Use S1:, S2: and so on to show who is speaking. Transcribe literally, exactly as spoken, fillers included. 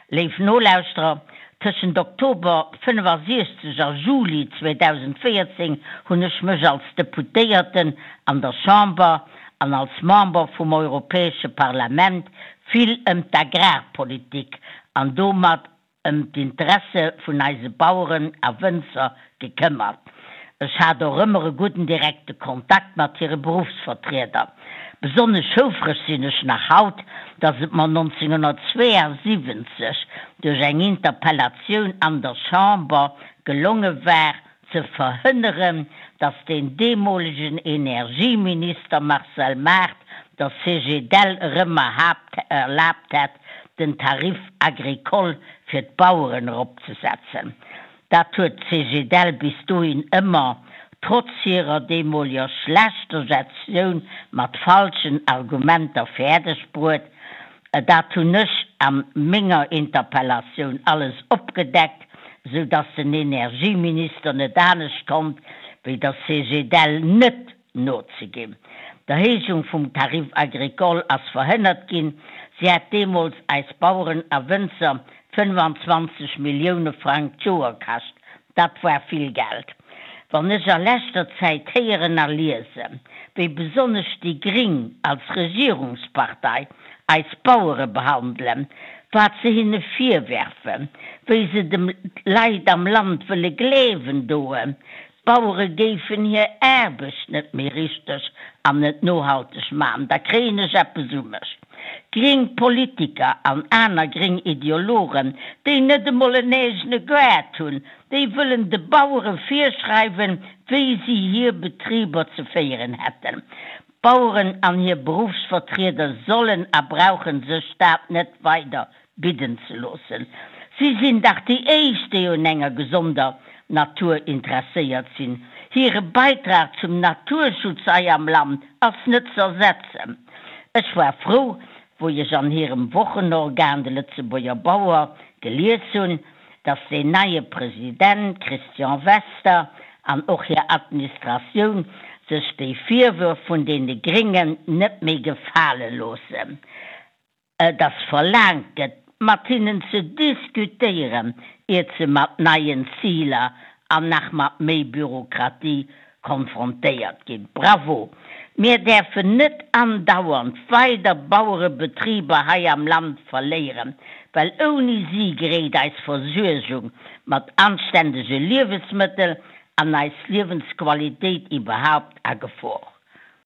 S1: Léif Nolauschterer, tëschent Oktober fënnefasiechzeg a Juli zweedausendvéierzéng hunn ech mech als Deputéierten an der Chamber an als Member vum Europäesche Parlament vill ëm d'Agrarpolitik an domat ëm d'Interesse vun eise Baueren a Wënzer gekëmmert. Ech hat och ëmmer e gudden direkte Kontakt mat hire Beruffsvertrieder. Besonnesch houfreg sinn ech nach haut, dass et mer nonzénghunnertzweeasiwwenzeg duerch eng Interpellatioun an der Chamber gelonge war, ze verhënneren, dass deen deemolegen Energieminister Marcel Mart der Cegedel erëm erlaabt hätt, den Tarif agricole fir d'Baueren eropzesetzen. Dat huet d'Cegedel bis dohin ëmmer, trotz hirer deemoleger schlechter Gestioun, mat falschen Argumenter fäerdeg bruet. Dat hunn ech a menger Interpellatioun alles opgedeckt, sou dass den Energieminister net anescht konnt, wéi der Cegedel net nozeginn. D'Erhéijung vum Tarif agricole ass verhënnert ginn. Si hätt deemools eis Baueren a Wënzer fënnefanzwanzeg Millioune Frang d'Joer kascht. Dat war vill Geld. Wann ech a leschter Zäit héieren a liesen, wéi besonnesch déi Gring als Regierungspartei eis Bauere behandelen, wat se hinne virwerfen, wéi se de Leit am Land wëlle gleewen doen, d'Bauere géifen hir Aarbecht net méi richteg an net nohalteg maachen, da kréien ech eppes u mech. Gréng Politiker an aner gréng Ideologen, déi net emol en eegene Gaart hunn, déi wëllen de Bauere virschreiwen, wéi si hir Betriber ze féieren hätten. D'Baueren an hir Beruffsvertrieder sollen a brauchen sech dat net weider bidden ze loossen. Si sinn dach déi éischt, déi un enger gesonder Natur interesséiert sinn. Hire Beitrag zum Naturschutz hei am Land ass net z'ersetzen. Ech war frou, wou ech an hirem Wochenorgan, de Lëtzebuerger Bauer, gelies hunn, dass deen neie President Christian Wester an och hir Administratioun sech déi Virwërf vun deene Gréngen net méi gefale loossen. Dass verlaangt gëtt, mat hinnen ze diskutéieren, iert se mat neien Ziler an nach mat méi Bürokratie konfrontéiert ginn. Bravo! Mir däerfen net andauernd weider Bauerebetriber hei am Land verléieren, well ouni si geréit eis Versuergung mat anständege Liewesmëttel an eis Liewensqualitéit iwwerhaupt a Gefor.